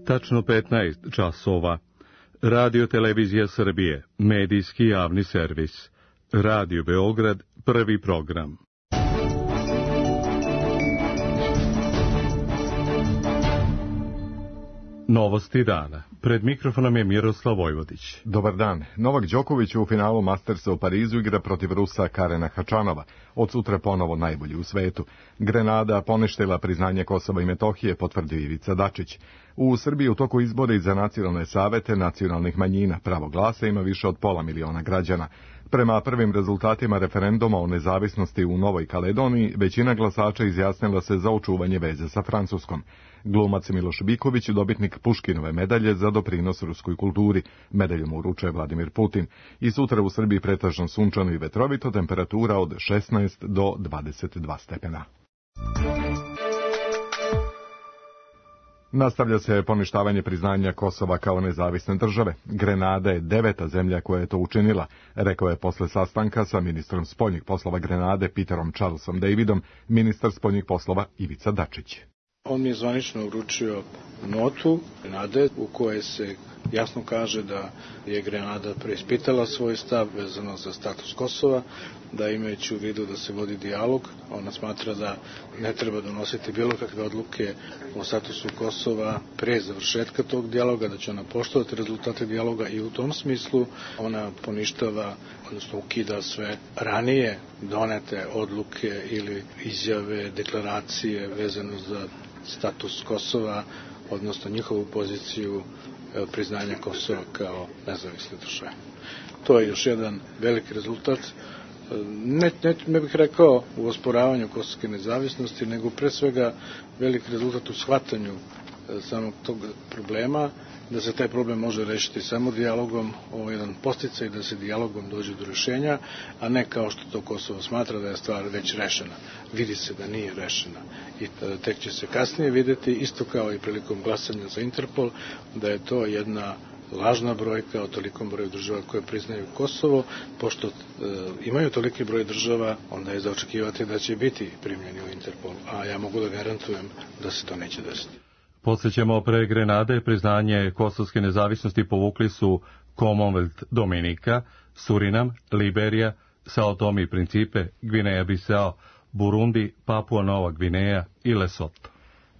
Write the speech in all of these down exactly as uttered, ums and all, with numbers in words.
tačno petnaest časova. Radio Televizija Srbije, medijski javni servis. Radio Beograd, prvi program. Novosti dana. Pred mikrofonom je Miroslav Vojvodić. Dobar dan. Novak Đoković u finalu Mastersa u Parizu igra protiv Rusa Karena Hačanova. Od sutra ponovo najbolji u svetu. Grenada poništila priznanje Kosova i Metohije, potvrdio Ivica Dačić. U Srbiji u toku izbora za nacionalne savete nacionalnih manjina pravo glasa ima više od pola miliona građana. Prema prvim rezultatima referenduma o nezavisnosti u Novoj Kaledoniji, većina glasača izjasnila se za očuvanje veze sa Francuskom. Glumac Miloš Biković, dobitnik Puškinove medalje za doprinos ruskoj kulturi. Medalju mu uručuje Vladimir Putin. I sutra u Srbiji pretežno sunčano i vetrovito, temperatura od šesnaest do dvadeset dva stepena. Nastavlja se poništavanje priznanja Kosova kao nezavisne države. Grenada je deveta zemlja koja je to učinila, rekao je posle sastanka sa ministrom spoljnih poslova Grenade Peterom Charlesom Davidom, ministar spoljnih poslova Ivica Dačić. On mi je zvanično uručio notu Grenade u kojoj se jasno kaže da je Grenada preispitala svoj stav vezano za status Kosova, da imajući u vidu da se vodi dijalog, ona smatra da ne treba donositi bilo kakve odluke o statusu Kosova pre završetka tog dijaloga, da će ona poštovati rezultate dijaloga i u tom smislu ona poništava, odnosno ukida sve ranije donete odluke ili izjave, deklaracije vezano za status Kosova, odnosno njihovu poziciju priznanja Kosova kao nezavisne države. To je još jedan veliki rezultat, ne, ne, ne bih rekao u osporavanju kosovske nezavisnosti, nego pre svega veliki rezultat u shvatanju samog tog problema, da se taj problem može rešiti samo dijalogom, ovo je jedan podsticaj da se dijalogom dođe do rešenja, a ne kao što to Kosovo smatra da je stvar već rešena. Vidi se da nije rešena i tek će se kasnije videti, isto kao i prilikom glasanja za Interpol, da je to jedna lažna brojka o tolikom broju država koje priznaju Kosovo. Pošto e, imaju toliki broj država, onda je za očekivati da će biti primljeni u Interpol, a ja mogu da garantujem da se to neće desiti. Podsjećamo, pre Grenade priznanje kosovske nezavisnosti povukli su Commonwealth Dominika, Surinam, Liberija, Sao Tome i Principe, Gvineja Bisao, Burundi, Papua Nova Gvineja i Lesoto.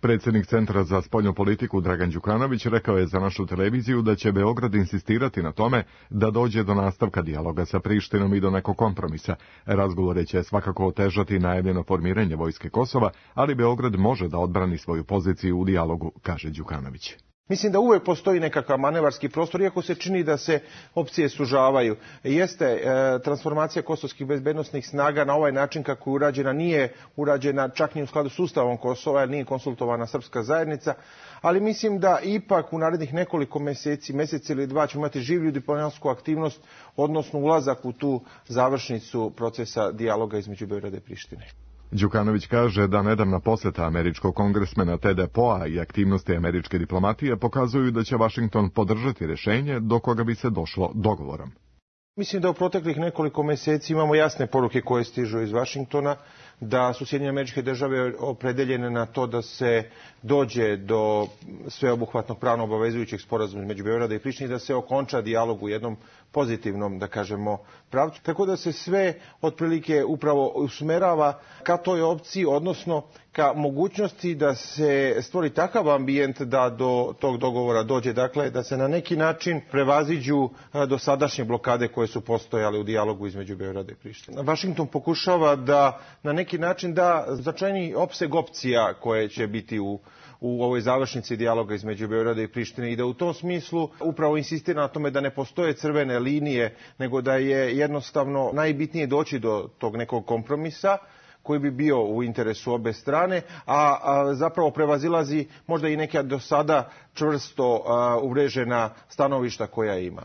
Predsjednik Centra za spoljnu politiku Dragan Đukanović rekao je za našu televiziju da će Beograd insistirati na tome da dođe do nastavka dijaloga sa Prištinom i do nekog kompromisa. Razgovore će svakako otežati najavljeno formiranje vojske Kosova, ali Beograd može da odbrani svoju poziciju u dijalogu, kaže Đukanović. Mislim da uvek postoji nekakav manevarski prostor, iako se čini da se opcije sužavaju. Jeste, e, transformacija kosovskih bezbednosnih snaga na ovaj način kako je urađena nije urađena čak ni u skladu s Ustavom Kosova, jer nije konsultovana srpska zajednica, ali mislim da ipak u narednih nekoliko meseci, mesec ili dva ćemo imati življu diplomatsku aktivnost, odnosno ulazak u tu završnicu procesa dijaloga između Beograda i Prištine. Đukanović kaže da nedavna poseta američkog kongresmena Teda Poea i aktivnosti američke diplomatije pokazuju da će Vašington podržati rešenje do koga bi se došlo dogovorom. Mislim da u proteklih nekoliko meseci imamo jasne poruke koje stižu iz Vašingtona, da su Sjedinjene Američke Države opredeljene na to da se dođe do sveobuhvatnog pravno obavezujućeg sporazuma između Beograda i Prištine, da se okonča dijalog u jednom pozitivnom, da kažemo, pravcu. Tako da se sve otprilike upravo usmerava ka toj opciji, odnosno ka mogućnosti da se stvori takav ambijent da do tog dogovora dođe, dakle da se na neki način prevaziđu dosadašnje blokade koje su postojale u dijalogu između Beograda i Prištine. Vašington pokušava da na neki način da značajniji opseg opcija koje će biti u u ovoj završnici dijaloga između Beograda i Prištine i da u tom smislu upravo insistira na tome da ne postoje crvene linije, nego da je jednostavno najbitnije doći do tog nekog kompromisa koji bi bio u interesu obe strane, a, a zapravo prevazilazi možda i neka do sada čvrsto a, uvrežena stanovišta koja ima.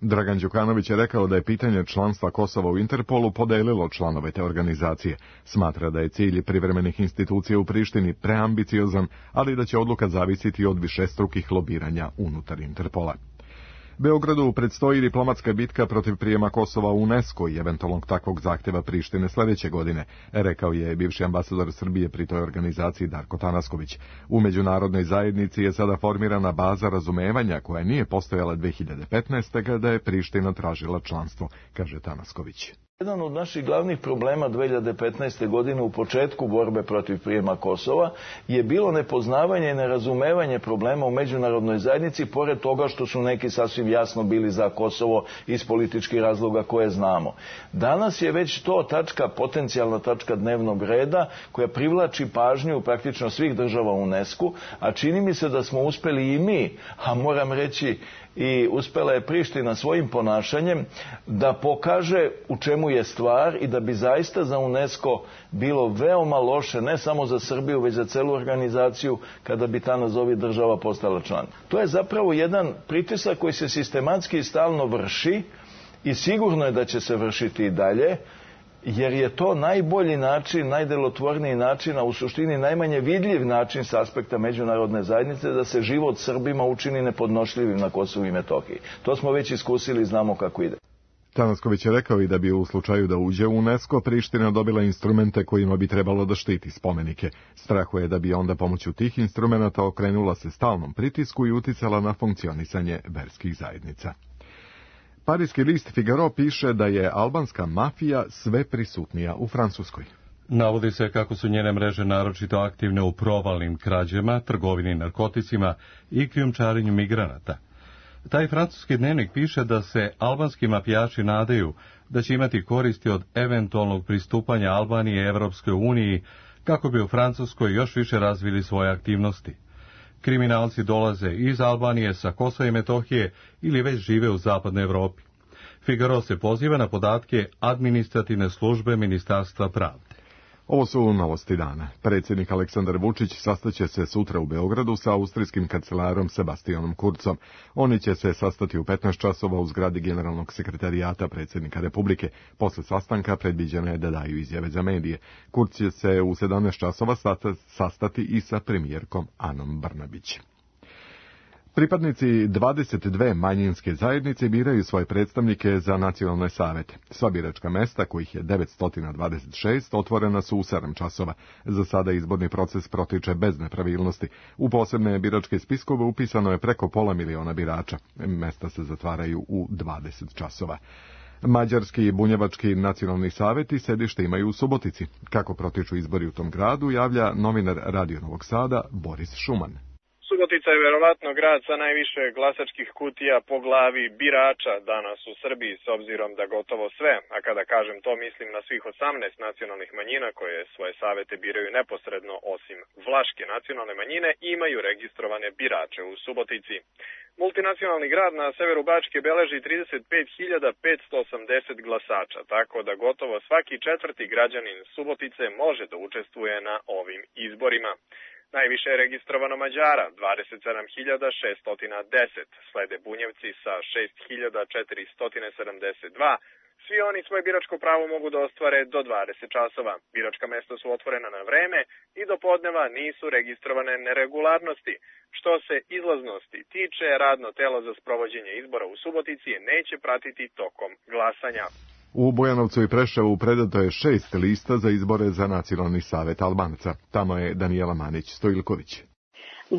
Dragan Đukanović je rekao da je pitanje članstva Kosova u Interpolu podelilo članove te organizacije. Smatra da je cilj privremenih institucija u Prištini preambiciozan, ali da će odluka zavisiti od višestrukih lobiranja unutar Interpola. Beogradu predstoji diplomatska bitka protiv prijema Kosova u UNESCO i eventualnog takvog zahtjeva Prištine sljedeće godine, rekao je bivši ambasador Srbije pri toj organizaciji Darko Tanasković. U međunarodnoj zajednici je sada formirana baza razumevanja koja nije postojala dve hiljade petnaeste. kada je Priština tražila članstvo, kaže Tanasković. Jedan od naših glavnih problema dve hiljade petnaeste. godine u početku borbe protiv prijema Kosova je bilo nepoznavanje i nerazumevanje problema u međunarodnoj zajednici, pored toga što su neki sasvim jasno bili za Kosovo iz političkih razloga koje znamo. Danas je već to tačka, potencijalna tačka dnevnog reda koja privlači pažnju praktično svih država u UNESCO-u, a čini mi se da smo uspjeli i mi, a moram reći i uspjela je Priština svojim ponašanjem da pokaže u čemu je stvar i da bi zaista za UNESCO bilo veoma loše, ne samo za Srbiju, već za celu organizaciju, kada bi ta nazovi država postala član. To je zapravo jedan pritisak koji se sistematski i stalno vrši i sigurno je da će se vršiti i dalje, jer je to najbolji način, najdelotvorniji način, a u suštini najmanje vidljiv način s aspekta međunarodne zajednice da se život Srbima učini nepodnošljivim na Kosovu i Metohiji. To smo već iskusili i znamo kako ide. Tanasković je rekao i da bi u slučaju da uđe u UNESCO Priština dobila instrumente kojima bi trebalo da štiti spomenike. Strahuje da bi onda pomoću tih instrumenta okrenula se stalnom pritisku i uticala na funkcionisanje verskih zajednica. Parijski list Figaro piše da je albanska mafija sve prisutnija u Francuskoj. Navodi se kako su njene mreže naročito aktivne u provalnim krađama, trgovini narkoticima i krijumčarenju migranata. Taj francuski dnevnik piše da se albanski mafijaši nadaju da će imati koristi od eventualnog pristupanja Albanije Evropskoj uniji kako bi u Francuskoj još više razvili svoje aktivnosti. Kriminalci dolaze iz Albanije, sa Kosova i Metohije ili već žive u zapadnoj Evropi. Figaro se poziva na podatke administrativne službe Ministarstva pravde. Ovo su novosti dana. Predsjednik Aleksandar Vučić sastaće se sutra u Beogradu sa austrijskim kancelarom Sebastianom Kurzom. Oni će se sastati u petnaest časova u zgradi Generalnog sekretarijata predsjednika Republike. Posle sastanka predviđeno je da daju izjave za medije. Kurz će se u sedamnaest časova sastati i sa premijerkom Anom Brnabić. Pripadnici dvadeset dve manjinske zajednice biraju svoje predstavnike za nacionalne savete. Sva biračka mesta, kojih je devetsto dvadeset šest, otvorena su u sedam časova. Za sada izborni proces protiče bez nepravilnosti. U posebne biračke spiskove upisano je preko pola miliona birača. Mesta se zatvaraju u dvadeset časova. Mađarski i bunjevački nacionalni saveti sedište imaju u Subotici. Kako protiču izbori u tom gradu, javlja novinar Radio Novog Sada Boris Šuman. Subotica je verovatno grad sa najviše glasačkih kutija po glavi birača danas u Srbiji, s obzirom da gotovo sve, a kada kažem to mislim na svih osamnaest nacionalnih manjina koje svoje savete biraju neposredno, osim vlaške nacionalne manjine, imaju registrovane birače u Subotici. Multinacionalni grad na severu Bačke beleži trideset pet hiljada petsto osamdeset glasača, tako da gotovo svaki četvrti građanin Subotice može da učestvuje na ovim izborima. Najviše je registrovano Mađara, dvadeset sedam hiljada šeststo deset, slede Bunjevci sa šest hiljada četiristo sedamdeset dva. Svi oni svoje biračko pravo mogu da ostvare do dvadeset časova. Biračka mesta su otvorena na vreme i do podneva nisu registrovane neregularnosti. Što se izlaznosti tiče, radno telo za sprovođenje izbora u Subotici neće pratiti tokom glasanja. U Bujanovcu i Preševu predato je šest lista za izbore za Nacionalni savet Albanaca. Tamo je Danijela Manić-Stojilković.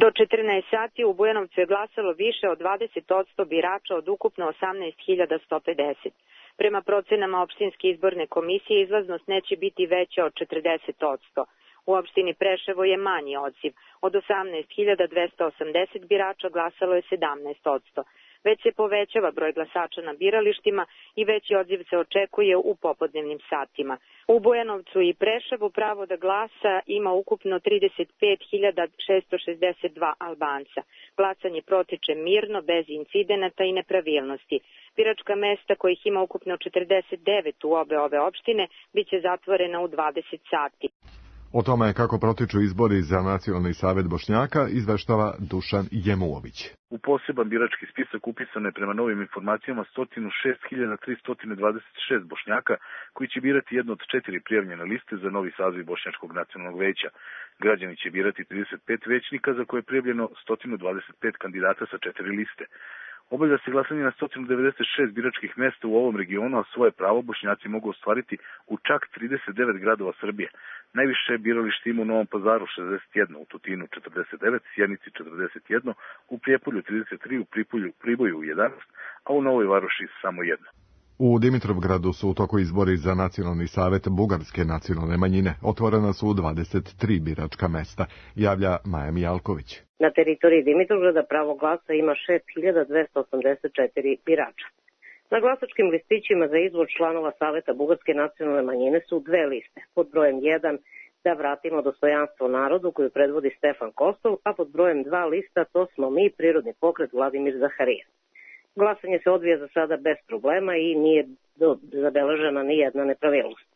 Do četrnaest sati u Bujanovcu je glasalo više od dvadeset posto birača od ukupno osamnaest hiljada sto pedeset. Prema procenama opštinske izborne komisije izlaznost neće biti veća od četrdeset posto. U opštini Preševo je manji odziv. Od osamnaest hiljada dvesta osamdeset birača glasalo je sedamnaest posto. Već se povećava broj glasača na biralištima i veći odziv se očekuje u popodnevnim satima. U Bujanovcu i Preševu pravo da glasa ima ukupno trideset pet hiljada šeststo šezdeset dva Albanca. Glasanje protiče mirno, bez incidenata i nepravilnosti. Biračka mesta, kojih ima ukupno četrdeset devet u obe ove opštine, bit će zatvorena u dvadeset sati. O tome kako protiču izbori za Nacionalni savet Bošnjaka izveštava Dušan Jemuović. U poseban birački spisak upisano je prema novim informacijama sto šest hiljada tristo dvadeset šest Bošnjaka koji će birati jedno od četiri prijavljene liste za novi saziv Bošnjačkog nacionalnog veća. Građani će birati trideset pet većnika za koje je prijavljeno sto dvadeset pet kandidata sa četiri liste. Obavlja se glasanje na sto devedeset šest biračkih mesta u ovom regionu, a svoje pravo Bošnjaci mogu ostvariti u čak trideset devet gradova Srbije. Najviše biralište ima u Novom Pazaru šezdeset jedno, u Tutinu četrdeset devet, Sjenici četrdeset jedno, u Prijepolju trideset tri, u Pripolju, Priboju jedanaest, a u Novoj Varoši samo jedno. U Dimitrovgradu su u toku izbori za Nacionalni savet bugarske nacionalne manjine. Otvorena su dvadeset tri biračka mesta, javlja Maja Mijalković. Na teritoriji Dimitrovgrada pravo glasa ima šest hiljada dvesta osamdeset četiri birača. Na glasačkim listićima za izbor članova Saveta bugarske nacionalne manjine su dve liste. Pod brojem jedan Da vratimo dostojanstvo narodu koju predvodi Stefan Kostov, a pod brojem dva lista To smo mi, prirodni pokret Vladimir Zaharija. Glasanje se odvija za sada bez problema i nije zabeležena ni jedna nepravilnost.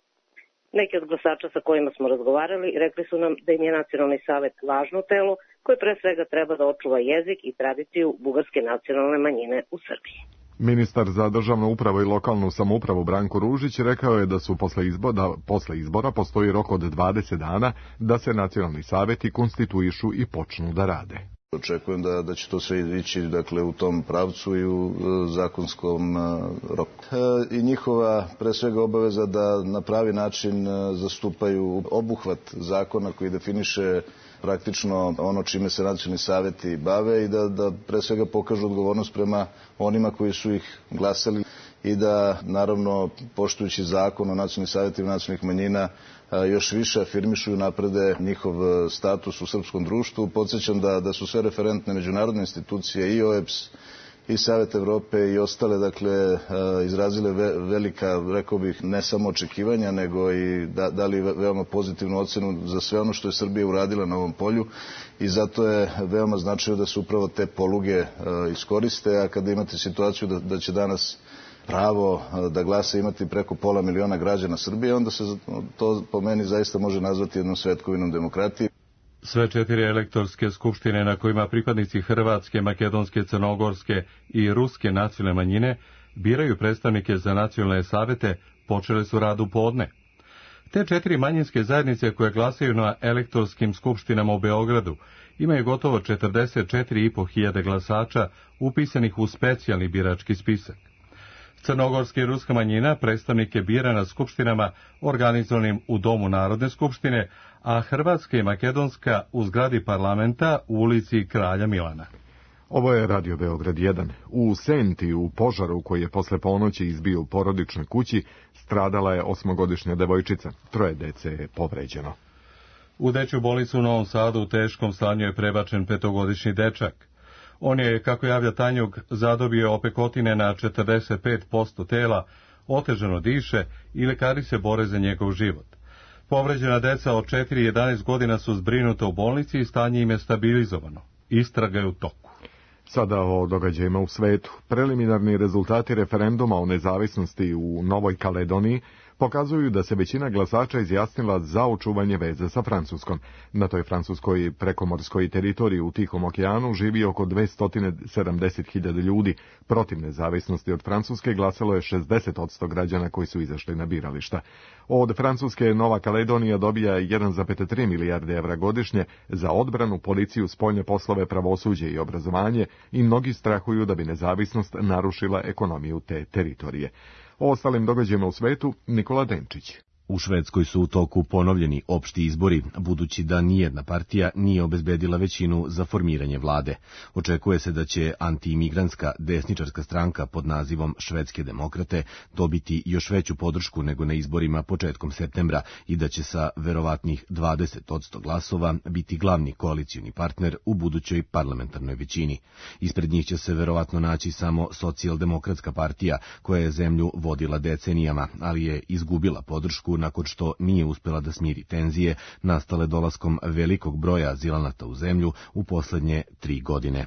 Neki od glasača sa kojima smo razgovarali rekli su nam da im je Nacionalni savet važno telo koje pre svega treba da očuva jezik i tradiciju bugarske nacionalne manjine u Srbiji. Ministar za državnu upravu i lokalnu samoupravu Branko Ružić rekao je da su posle izbora, posle izbora postoji rok od dvadeset dana da se nacionalni saveti konstituišu i počnu da rade. Očekujem da, da će to sve ići dakle, u tom pravcu i u e, zakonskom e, roku. E, I njihova pre svega obaveza da na pravi način e, zastupaju obuhvat zakona koji definiše praktično ono čime se nacionalni saveti bave i da, da pre svega pokažu odgovornost prema onima koji su ih glasali i da naravno poštujući zakon o nacionalnim savetima nacionalnih manjina još više afirmišu i naprede njihov status u srpskom društvu. Podsjećam da, da su sve referentne međunarodne institucije i O E B S i Savet Evrope i ostale, dakle, izrazile velika, rekao bih, ne samo očekivanja, nego i da, dali veoma pozitivnu ocenu za sve ono što je Srbija uradila na ovom polju i zato je veoma značajno da se upravo te poluge iskoriste, a kada imate situaciju da, da će danas pravo da glasa imati preko pola miliona građana Srbije, onda se to po meni zaista može nazvati jednom svetkovinom demokratije. Sve četiri elektorske skupštine na kojima pripadnici hrvatske, makedonske, crnogorske i ruske nacionalne manjine biraju predstavnike za nacionalne savete počele su rad u podne. Te četiri manjinske zajednice koje glasaju na elektorskim skupštinama u Beogradu imaju gotovo četrdeset četiri i po hiljade glasača upisanih u specijalni birački spisak. Crnogorska i ruska manjina predstavnike bira na skupštinama organizovanim u Domu Narodne skupštine, a Hrvatska i Makedonska u zgradi parlamenta u ulici Kralja Milana. Ovo je Radio Beograd jedan. U Senti, u požaru koji je posle ponoći izbio u porodičnoj kući, stradala je osmogodišnja devojčica. Troje dece je povređeno. U dečju bolnicu u Novom Sadu u teškom stanju je prebačen petogodišnji dečak. On je, kako javlja Tanjug, zadobio opekotine na četrdeset pet posto tela, otežano diše i lekari se bore za njegov život. Povređena deca od četiri i jedanaest godina su zbrinuta u bolnici i stanje im je stabilizovano. Istraga je u toku. Sada o događajima u svetu. Preliminarni rezultati referenduma o nezavisnosti u Novoj Kaledoniji pokazuju da se većina glasača izjasnila za očuvanje veze sa Francuskom. Na toj francuskoj prekomorskoj teritoriji u Tihom okeanu živi oko dvesta sedamdeset hiljada ljudi. Protiv nezavisnosti od Francuske glasalo je šezdeset posto građana koji su izašli na birališta. Od Francuske Nova Kaledonija dobija jedan zarez tri milijarde evra godišnje za odbranu, policiju, spoljne poslove, pravosuđe i obrazovanje i mnogi strahuju da bi nezavisnost narušila ekonomiju te teritorije. O ostalim događajima u svetu, Nikola Denčić. U Švedskoj su u toku ponovljeni opšti izbori, budući da nijedna partija nije obezbedila većinu za formiranje vlade. Očekuje se da će antiimigrantska desničarska stranka pod nazivom Švedske demokrate dobiti još veću podršku nego na izborima početkom septembra i da će sa verovatnih dvadeset posto glasova biti glavni koalicioni partner u budućoj parlamentarnoj većini. Ispred njih će se verovatno naći samo socijaldemokratska partija koja je zemlju vodila decenijama, ali je izgubila podršku nakon što nije uspela da smiri tenzije nastale dolaskom velikog broja azilanata u zemlju u poslednje tri godine.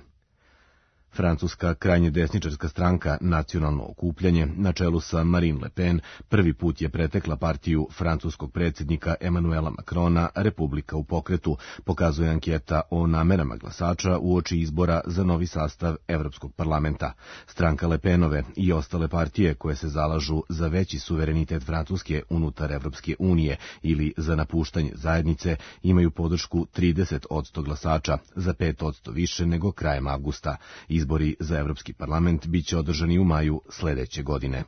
Francuska krajnje desničarska stranka Nacionalno okupljanje na čelu sa Marine Le Pen prvi put je pretekla partiju francuskog predsjednika Emanuela Macrona Republika u pokretu, pokazuje anketa o namerama glasača uoči izbora za novi sastav Evropskog parlamenta. Stranka Le Penove i ostale partije koje se zalažu za veći suverenitet Francuske unutar Evropske unije ili za napuštanje zajednice imaju podršku trideset posto glasača, za pet posto više nego krajem avgusta. Izbori za Evropski parlament biće održani u maju sledeće godine.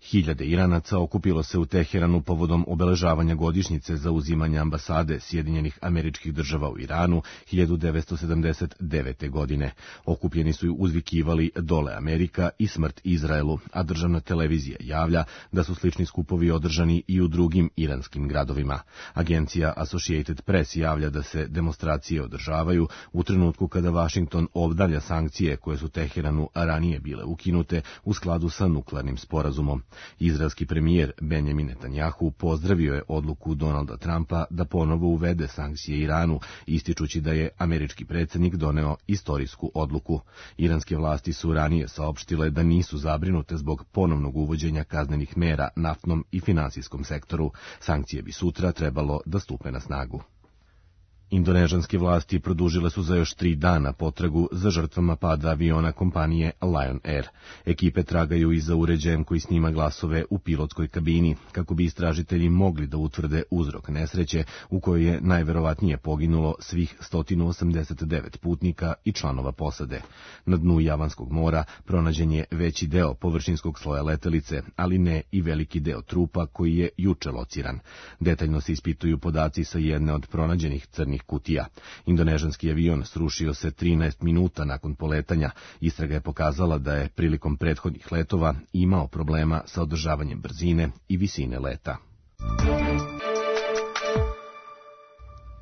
Hiljade Iranaca okupilo se u Teheranu povodom obeležavanja godišnjice zauzimanja ambasade Sjedinjenih Američkih Država u Iranu hiljadu devetsto sedamdeset devete. godine. Okupljeni su uzvikivali Dole Amerika i smrt Izraelu, a državna televizija javlja da su slični skupovi održani i u drugim iranskim gradovima. Agencija Associated Press javlja da se demonstracije održavaju u trenutku kada Vašington obnavlja sankcije koje su Teheranu ranije bile ukinute u skladu sa nuklearnim sporazumom. Izraelski premijer Benjamin Netanjahu pozdravio je odluku Donalda Trumpa da ponovo uvede sankcije Iranu, ističući da je američki predsjednik doneo istorijsku odluku. Iranske vlasti su ranije saopštile da nisu zabrinute zbog ponovnog uvođenja kaznenih mera naftnom i finansijskom sektoru. Sankcije bi sutra trebalo da stupe na snagu. Indonežanske vlasti produžile su za još tri dana potragu za žrtvama pada aviona kompanije Lion Air. Ekipe tragaju i za uređajem koji snima glasove u pilotskoj kabini, kako bi istražitelji mogli da utvrde uzrok nesreće u kojoj je najverovatnije poginulo svih sto osamdeset devet putnika i članova posade. Na dnu Javanskog mora pronađen je veći deo površinskog sloja letelice, ali ne i veliki deo trupa koji je juče lociran. Detaljno se ispituju podaci sa jedne od pronađenih crnih kutija. Indonežanski avion srušio se trinaest minuta nakon poletanja. Istraga je pokazala da je prilikom prethodnih letova imao problema sa održavanjem brzine i visine leta.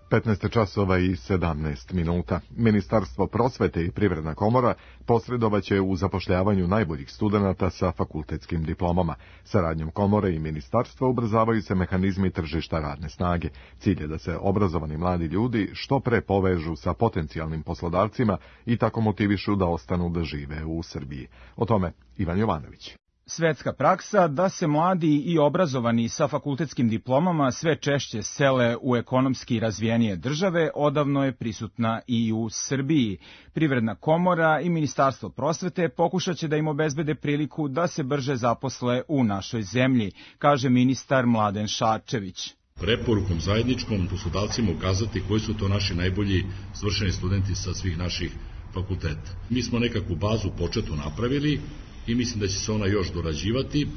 petnaest časova i sedamnaest minuta. Ministarstvo prosvete i Privredna komora posredovaće u zapošljavanju najboljih studenata sa fakultetskim diplomama. Saradnjom komore i ministarstva ubrzavaju se mehanizmi tržišta radne snage. Cilj je da se obrazovani mladi ljudi što pre povežu sa potencijalnim poslodavcima i tako motivišu da ostanu da žive u Srbiji. O tome Ivan Jovanović. Svetska praksa da se mladi i obrazovani sa fakultetskim diplomama sve češće sele u ekonomski razvijenije države odavno je prisutna i u Srbiji. Privredna komora i Ministarstvo prosvete pokušat će da im obezbede priliku da se brže zaposle u našoj zemlji, kaže ministar Mladen Šarčević. Preporukom zajedničkom poslodavcima ukazati koji su to naši najbolji svršeni studenti sa svih naših fakulteta. Mi smo nekakvu bazu početnu napravili i mislim da će se ona još dorađivati.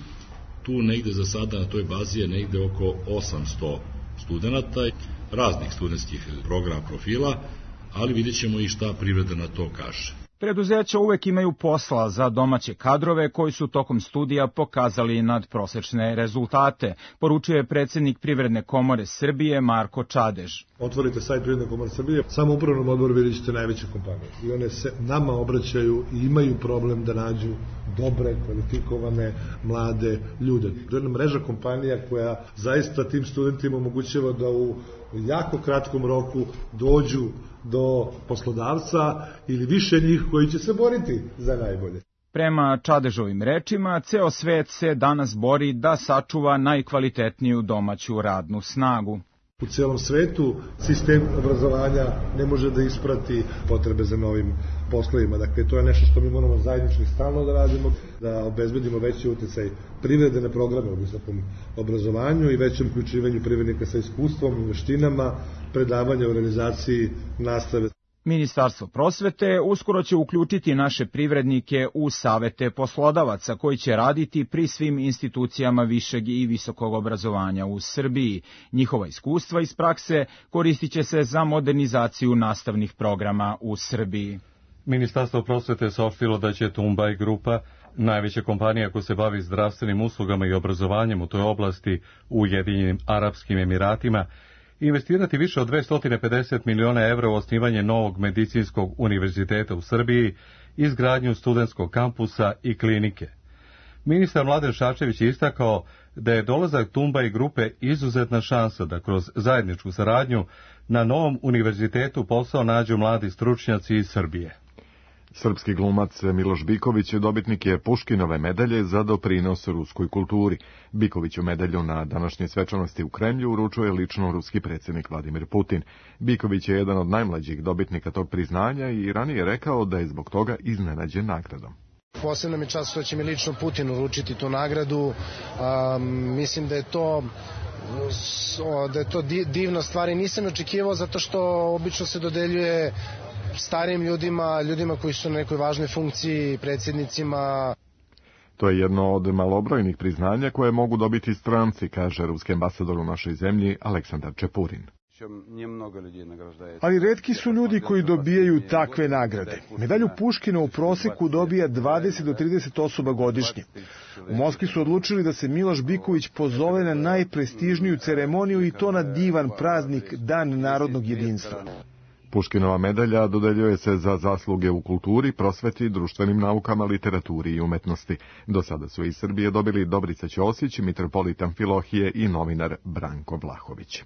Tu negde za sada na toj bazi je negde oko osamsto studenta, raznih studentskih programa profila, ali vidjet ćemo i šta privreda na to kaže. Preduzeća uvek imaju posla za domaće kadrove koji su tokom studija pokazali nadprosečne rezultate, poručuje predsjednik Privredne komore Srbije Marko Čadež. Otvorite sajt Privredne komore Srbije, samo u upravnom odboru vidjet ćete najveće kompanije i one se nama obraćaju i imaju problem da nađu dobre, kvalifikovane, mlade ljude. To je jedna mreža kompanija koja zaista tim studentima omogućava da u jako kratkom roku dođu do poslodavca ili više njih koji će se boriti za najbolje. Prema Čadežovim rečima, ceo svet se danas bori da sačuva najkvalitetniju domaću radnu snagu. U celom svetu sistem obrazovanja ne može da isprati potrebe za novim poslovima. Dakle, to je nešto što mi moramo zajednički stalno da radimo, da obezbedimo veći utjecaj privrede na programe u visokom obrazovanju i većem uključivanju privrednika sa iskustvom i veštinama, predavanja u realizaciji nastave. Ministarstvo prosvete uskoro će uključiti naše privrednike u savete poslodavaca koji će raditi pri svim institucijama višeg i visokog obrazovanja u Srbiji. Njihova iskustva iz prakse koristit će se za modernizaciju nastavnih programa u Srbiji. Ministarstvo prosvete saopštilo da će Tumbaj grupa, najveća kompanija koja se bavi zdravstvenim uslugama i obrazovanjem u toj oblasti u Ujedinjenim Arapskim Emiratima, investirati više od dvesta pedeset miliona evra u osnivanje novog medicinskog univerziteta u Srbiji, izgradnju studentskog kampusa i klinike. Ministar Mladen Šarčević je istakao da je dolazak Tumbaj grupe izuzetna šansa da kroz zajedničku saradnju na novom univerzitetu posao nađu mladi stručnjaci iz Srbije. Srpski glumac Miloš Biković dobitnik je Puškinove medalje za doprinos ruskoj kulturi. Bikoviću medalju na današnjoj svečanosti u Kremlju uručuje lično ruski predsjednik Vladimir Putin. Biković je jedan od najmlađih dobitnika tog priznanja i ranije rekao da je zbog toga iznenađen nagradom. Posebno mi je čast što će mi lično Putin uručiti tu nagradu. Um, mislim da je to da je to divna stvar i nisam očekivao zato što obično se dodeljuje starijim ljudima, ljudima koji su na nekoj važnoj funkciji, predsjednicima. To je jedno od malobrojnih priznanja koje mogu dobiti stranci, kaže ruski ambasador u našoj zemlji Aleksandar Čepurin. Ali retki su ljudi koji dobijaju takve nagrade. Medalju Puškina u proseku dobija dvadeset do trideset osoba godišnje. U Moskvi su odlučili da se Miloš Biković pozove na najprestižniju ceremoniju i to na divan praznik Dan narodnog jedinstva. Puškinova medalja dodeljuje se za zasluge u kulturi, prosveti, društvenim naukama, literaturi i umetnosti. Do sada su iz Srbije dobili Dobrica Ćosić, mitropolit Amfilohije i novinar Branko Vlahović.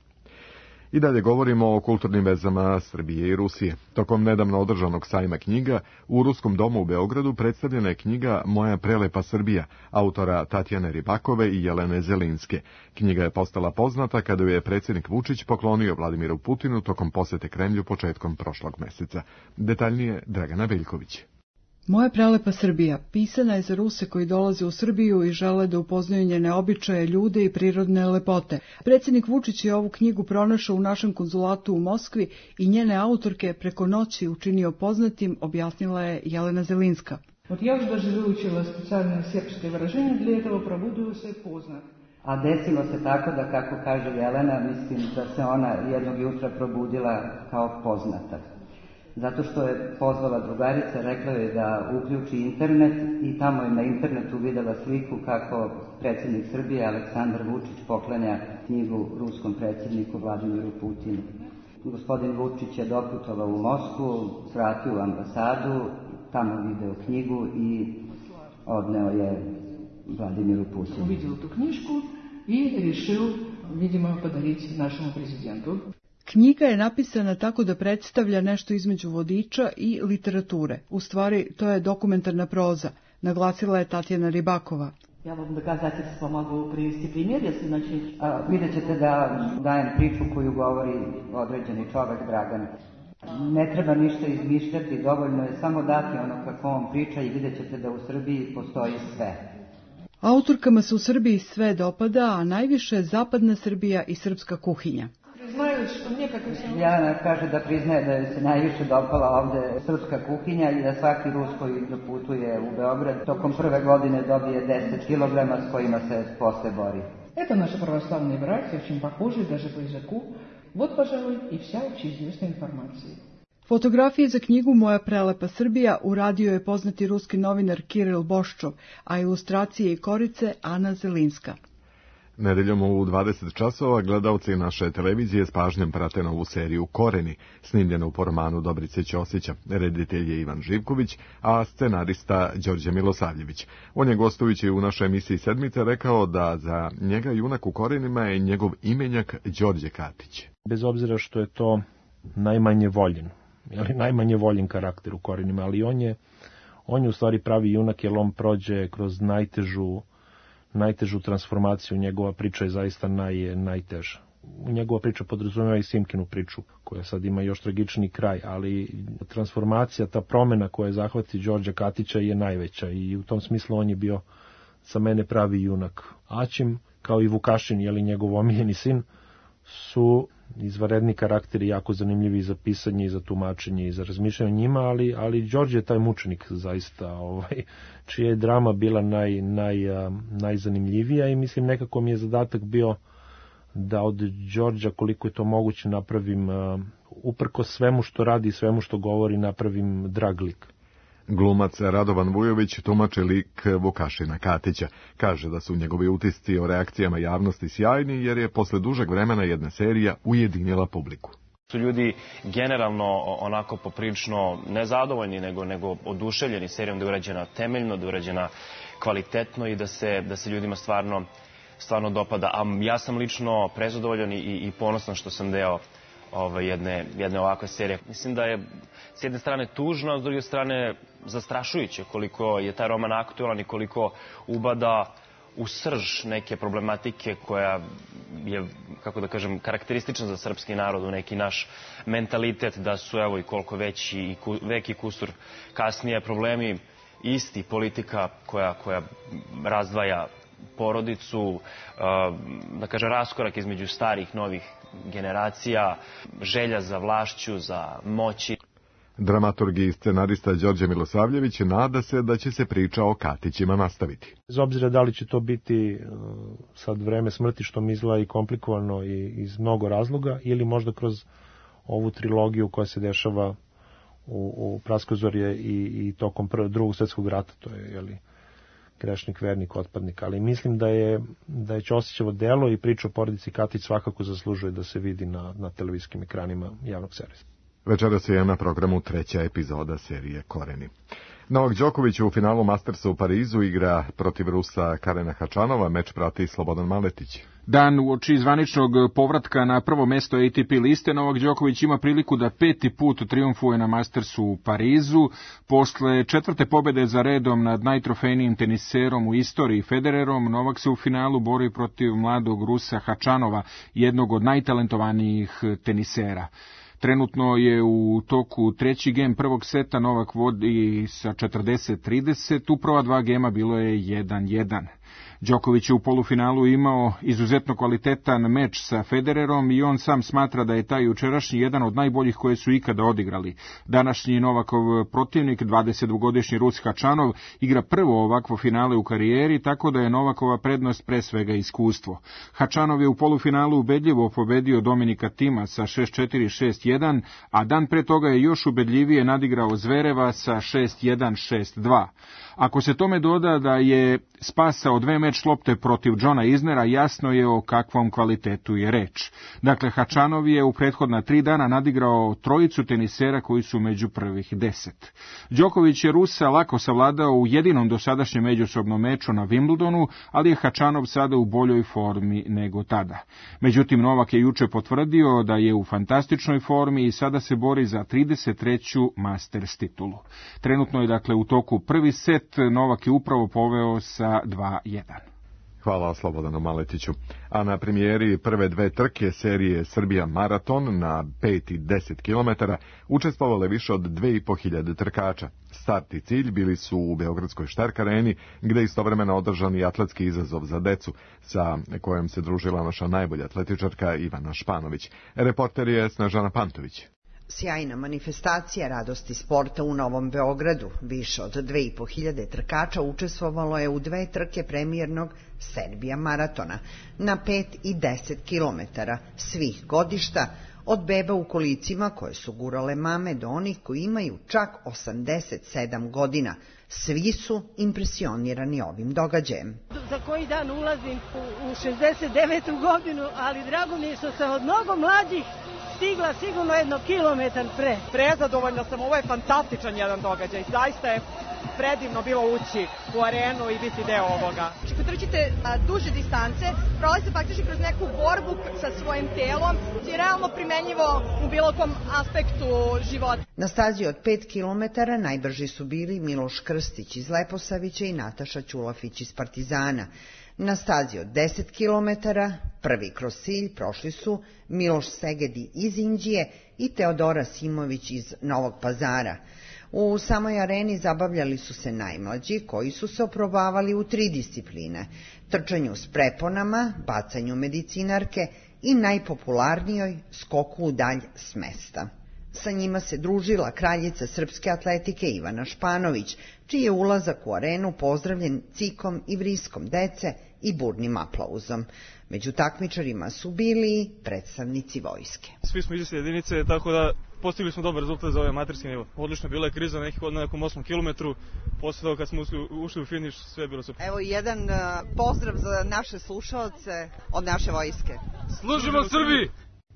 I dalje govorimo o kulturnim vezama Srbije i Rusije. Tokom nedavno održanog sajma knjiga u Ruskom domu u Beogradu predstavljena je knjiga Moja prelepa Srbija, autora Tatjane Ribakove i Jelene Zelinske. Knjiga je postala poznata kada ju je predsjednik Vučić poklonio Vladimiru Putinu tokom posete Kremlju početkom prošlog meseca. Detaljnije Dragana Veljković. Moja prelepa Srbija pisana je za Ruse koji dolaze u Srbiju i žele da upoznaju njene običaje, ljude i prirodne lepote. Predsjednik Vučić je ovu knjigu pronašao u našem konzulatu u Moskvi i njene autorke preko noći učinio poznatim, objasnila je Jelena Zelinska. Вот я уже даже выучила специальное сербское выражение для этого, пробудила се познат. A desilo se tako da, kako kaže Jelena, mislim da se ona jednog jutra probudila kao poznata. Zato što je pozvala drugarica, rekla je da uključi internet i tamo je na internetu videla sliku kako predsjednik Srbije Aleksandar Vučić poklanja knjigu ruskom predsjedniku Vladimiru Putinu. Gospodin Vučić je doputovao u Moskvu, svratio u ambasadu, tamo video knjigu i odneo je Vladimiru Putinu. Uvidio tu knjišku i rešio, vidimo, podariti našemu prezidentu. Knjiga je napisana tako da predstavlja nešto između vodiča i literature. U stvari, to je dokumentarna proza, naglasila je Tatjana Ribakova. Ja vam doказательство mogu privesti primjer, jesi, znači, a, vidjet ćete da dajem priču koju govori određeni čovek Dragan. Ne treba ništa izmišljati, dovoljno je samo dati ono kako on priča i vidjet ćete da u Srbiji postoji sve. Autorkama se u Srbiji sve dopada, a najviše zapadna Srbija i srpska kuhinja. Jelena kaže da priznaje da je se najviše dopala ovde srpska kuhinja i da svaki Rus koji doputuje u Beograd tokom prve godine dobije deset kilograma s kojima se posle bori. Это наши православные братья, очень похожи даже по языку. Вот, пожалуй, и вся общеизвестная информация. Fotografije za knjigu Moja prelepa Srbija uradio je poznati ruski novinar Kiril Boščov, a ilustracije i korice Ana Zelinska. Nedeljom u dvadeset časova gledalci naše televizije s pažnjom prate novu seriju Koreni, snimljenu po romanu Dobrice Ćosića. Reditelj je Ivan Živković, a scenarista Đorđe Milosavljević. On je gostujući u našoj emisiji Sedmice rekao da za njega junak u Korenima je njegov imenjak Đorđe Katić. Bez obzira što je to najmanje voljen, ili najmanje voljen karakter u Korenima, ali on je, on je u stvari pravi junak jer on prođe kroz najtežu najtežu transformaciju, njegova priča je zaista naj, najteža. Njegova priča podrazumeva i Simkinu priču, koja sad ima još tragični kraj, ali transformacija, ta promena koja je zahvati Đorđa Katića je najveća i u tom smislu on je bio za mene pravi junak. Aćim, kao i Vukašin, jeli njegov omiljeni sin, su izvanredni karakteri jako zanimljivi za pisanje i za tumačenje i za razmišljanje o njima, ali, ali Đorđe je taj mučenik zaista, ovaj, čija je drama bila naj, naj, najzanimljivija i mislim nekako mi je zadatak bio da od Đorđa koliko je to moguće napravim, uprko svemu što radi i svemu što govori, napravim drag lik. Glumac Radovan Vujović tumači lik Vukašina Katića. Kaže da su njegovi utisci o reakcijama javnosti sjajni jer je posle dužeg vremena jedna serija ujedinila publiku. Su ljudi generalno onako poprilično nezadovoljni nego, nego oduševljeni serijom da je urađena temeljno, da je urađena kvalitetno i da se, da se ljudima stvarno, stvarno dopada. A ja sam lično prezadovoljan i, i ponosan što sam deo Ove, jedne, jedne ovakve serije. Mislim da je s jedne strane tužno, a s druge strane zastrašujuće koliko je taj roman aktualan i koliko ubada u srž neke problematike koja je, kako da kažem, karakteristična za srpski narod, u neki naš mentalitet da su, evo, i koliko veći i ku, veki kusur kasnije problemi isti, politika koja, koja razdvaja porodicu, da kažem, raskorak između starih, novih generacija, želja za vlašću, za moći. Dramaturg i scenarista Đorđe Milosavljević nada se da će se priča o Katićima nastaviti. Bez obzira da li će to biti sad vreme smrti, što mi izgleda i komplikovano i iz mnogo razloga, ili možda kroz ovu trilogiju koja se dešava u, u Praskozorje i, i tokom prvog, drugog svjetskog rata, to je, jeli, grešnik, vernik, otpadnik, ali mislim da je, da je Ćosićevo delo i priča o porodici Katić svakako zaslužuje da se vidi na, na televizijskim ekranima javnog servisa. Večeras je na programu treća epizoda serije Koreni. Novak Đoković u finalu Mastersa u Parizu igra protiv Rusa Karena Hačanova, meč prati Slobodan Maletić. Dan uoči zvaničnog povratka na prvo mesto A T P liste, Novak Đoković ima priliku da peti put trijumfuje na Mastersu u Parizu. Posle četvrte pobede za redom nad najtrofejnijim teniserom u istoriji Federerom, Novak se u finalu bori protiv mladog Rusa Hačanova, jednog od najtalentovanijih tenisera. Trenutno je u toku treći gem prvog seta, Novak vodi sa četrdeset trideset, u prva dva gema bilo je jedan jedan. Đoković je u polufinalu imao izuzetno kvalitetan meč sa Federerom i on sam smatra da je taj jučerašnji jedan od najboljih koje su ikada odigrali. Današnji Novakov protivnik, dvadesetdvogodišnji Rus Hačanov, igra prvo ovakvo finale u karijeri, tako da je Novakova prednost pre svega iskustvo. Hačanov je u polufinalu ubedljivo pobedio Dominika Tima sa šest četiri šest jedan, a dan pre toga je još ubedljivije nadigrao Zvereva sa šest jedan šest dva. Ako se tome doda da je spasao dve meč lopte protiv Johna Isnera, jasno je o kakvom kvalitetu je reč. Dakle, Hačanov je u prethodna tri dana nadigrao trojicu tenisera koji su među prvih deset. Đoković je Rusa lako savladao u jedinom dosadašnjem međusobnom meču na Wimbledonu, ali je Hačanov sada u boljoj formi nego tada. Međutim, Novak je juče potvrdio da je u fantastičnoj formi i sada se bori za trideset treću Masters titulu. Trenutno je dakle u toku prvi set, Novak je upravo poveo sa dva jedan. Hvala Slobodanu Maletiću. A na premijeri prve dve trke serije Srbija Maraton na pet i deset kilometara učestvovale više od dve i po hiljade trkača. Start i cilj bili su u Beogradskoj Štark areni, gde je istovremeno održan i atletski izazov za decu, sa kojom se družila naša najbolja atletičarka Ivana Španović. Reporter je Snežana Pantović. Sjajna manifestacija radosti sporta u Novom Beogradu. Više od dve i po hiljade trkača učestvovalo je u dve trke premijernog Serbija maratona na pet i deset kilometara svih godišta, od beba u kolicima koje su gurale mame do onih koji imaju čak osamdeset sedam godina. Svi su impresionirani ovim događajem. Za koji dan ulazim u šezdeset devetu godinu, ali drago mi je što sam od mnogo mlađih stigla sigurno jedno kilometar pre. Prezadovoljna sam, ovo je fantastičan jedan događaj. Zaista je predivno bilo ući u arenu i biti deo ovoga. Ako trčite duže distance, prolazi faktički kroz neku borbu sa svojim telom, je realno primenjivo u bilo kom aspektu života. Na stazi od pet kilometara najbrži su bili Miloš Krstić iz Leposavića i Nataša Ćulafić iz Partizana. Na stazi od deset kilometara prvi kroz cilj prošli su Miloš Segedi iz Inđije i Teodora Simović iz Novog Pazara. U samoj areni zabavljali su se najmlađi, koji su se oprobavali u tri discipline: trčanju s preponama, bacanju medicinarke i najpopularnijoj skoku u dalj s mesta. Sa njima se družila kraljica srpske atletike Ivana Španović, čiji je ulazak u arenu pozdravljen cikom i vriskom dece i burnim aplauzom. Među takmičarima su bili predstavnici vojske. Svi smo iz iste jedinice, tako da postigli smo dobar rezultat za ovaj amaterski nivo. Odlično, bila je kriza na, nekih, na nekom osmom kilometru, posle toga kad smo ušli u finiš, sve je bilo super. Evo jedan uh, pozdrav za naše slušaoce od naše vojske. Služimo Srbiji!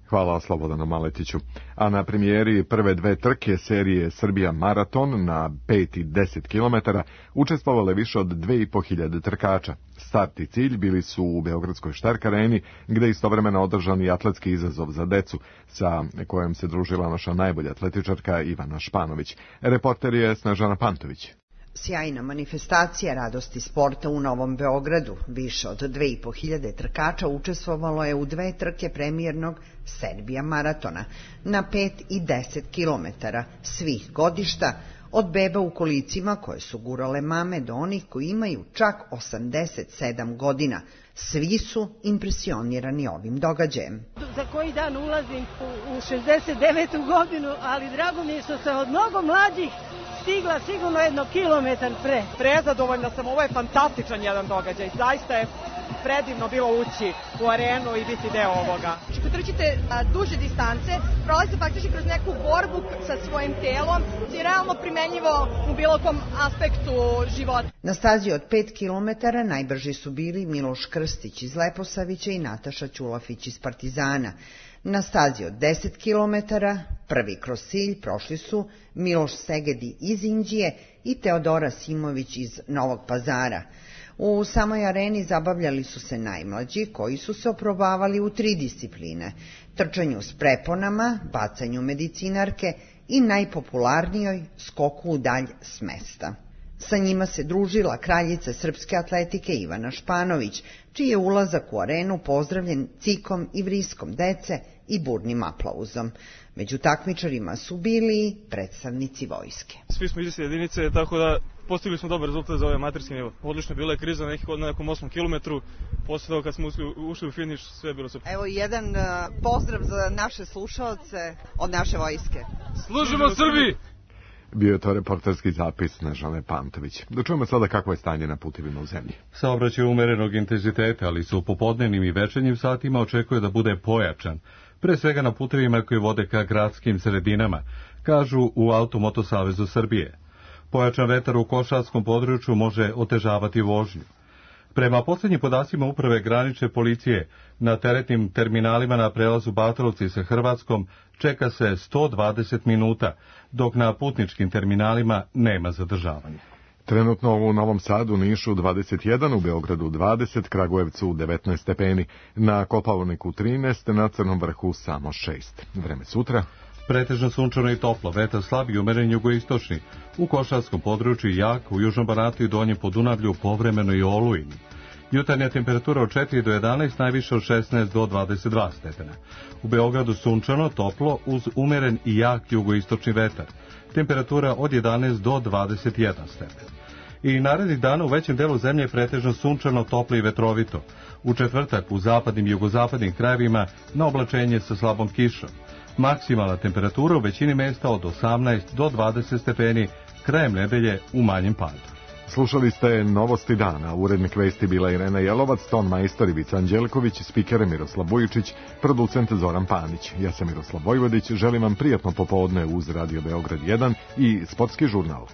Hvala Slobodanu Maletiću. A na premijeri prve dve trke serije Srbija Maraton na pet i deset kilometara učestvovale više od dve i po hiljade trkača. Start i cilj bili su u Beogradskoj Štark areni, gde je istovremeno održan i atletski izazov za decu, sa kojom se družila naša najbolja atletičarka Ivana Španović. Reporter je Snežana Pantović. Sjajna manifestacija radosti sporta u Novom Beogradu. Više od dve i po hiljade trkača učestvovalo je u dve trke premijernog Serbija maratona na pet i deset kilometara svih godišta, od beba u kolicima koje su gurale mame do onih koji imaju čak osamdeset sedam godina. Svi su impresionirani ovim događajem. Za koji dan ulazim u šezdeset devetu godinu, ali drago mi je što sam od mnogo mlađih stigla sigurno jedno kilometar pre. Prezadovoljna sam, ovo je fantastičan jedan događaj, zaista je predivno bilo ući u arenu i biti deo ovoga. Ako trčite duže distance, prolazite faktički kroz neku borbu sa svojim telom, je realno primenjivo u bilo kom aspektu života. Na stazi od pet kilometara najbrži su bili Miloš Krstić iz Leposavića i Nataša Ćulafić iz Partizana. Na stazi od deset kilometara, prvi kroz cilj, prošli su Miloš Segedi iz Inđije i Teodora Simović iz Novog Pazara. U samoj areni zabavljali su se najmlađi, koji su se oprobavali u tri discipline: trčanju s preponama, bacanju medicinarke i najpopularnijoj skoku u dalj s mesta. Sa njima se družila kraljica srpske atletike Ivana Španović, čiji je ulazak u arenu pozdravljen cikom i vriskom dece i burnim aplauzom. Među takmičarima su bili predstavnici vojske. Svi smo iz iste jedinice, tako da postigli smo dobar rezultat za ovaj amaterski nivo. Odlično je bila je kriza na nekom osmom kilometru, posle toga kad smo ušli, ušli u finiš, sve je bilo super. Evo jedan uh, pozdrav za naše slušalce od naše vojske. Služimo Srbiji! Bio je to reporterski zapis Nežane Pantović. Da čujemo sada kakvo je stanje na putevima u zemlji. Saobraćaj umerenog intenziteta, ali se u popodnevnim i večernjim satima očekuje da bude pojačan, pre svega na putevima koji vode ka gradskim sredinama, kažu u Automoto Savezu Srbije. Pojačan vetar u košarskom području može otežavati vožnju. Prema poslednjim podacima Uprave granične policije, na teretnim terminalima na prelazu Batrovci sa Hrvatskom čeka se sto dvadeset minuta, dok na putničkim terminalima nema zadržavanja. Trenutno u Novom Sadu, Nišu dvadeset jedan, u Beogradu dvadeset, Kragujevcu devetnaest stepeni, na Kopaoniku trinaest, na Crnom vrhu samo šest. Vreme sutra. Pretežno sunčano i toplo, vetar slab i umeren jugoistočni. U košarskom području jak, u južnom Banatu i donjem Podunavlju povremeno i olujni. Jutarnja temperatura od četiri do jedanaest, najviše od šesnaest do dvadeset dva stepena. U Beogradu sunčano, toplo, uz umeren i jak jugoistočni vetar. Temperatura od jedanaest do dvadeset jedan stepen. I narednih dana u većem delu zemlje je pretežno sunčano, toplo i vetrovito. U četvrtak u zapadnim i jugozapadnim krajevima na oblačenje sa slabom kišom. Maksimalna temperatura u većini mesta od osamnaest do dvadeset stepeni, krajem nedelje u manjem padu. Slušali ste Novosti dana, urednik vesti bila Irena Jelovac, ton majstor Ivica Anđelković, spiker Miroslav Bujičić, producent Zoran Panić. Ja sam Miroslav Vojvodić, želim vam prijatno popodne uz Radio Beograd jedan i Sportski žurnal.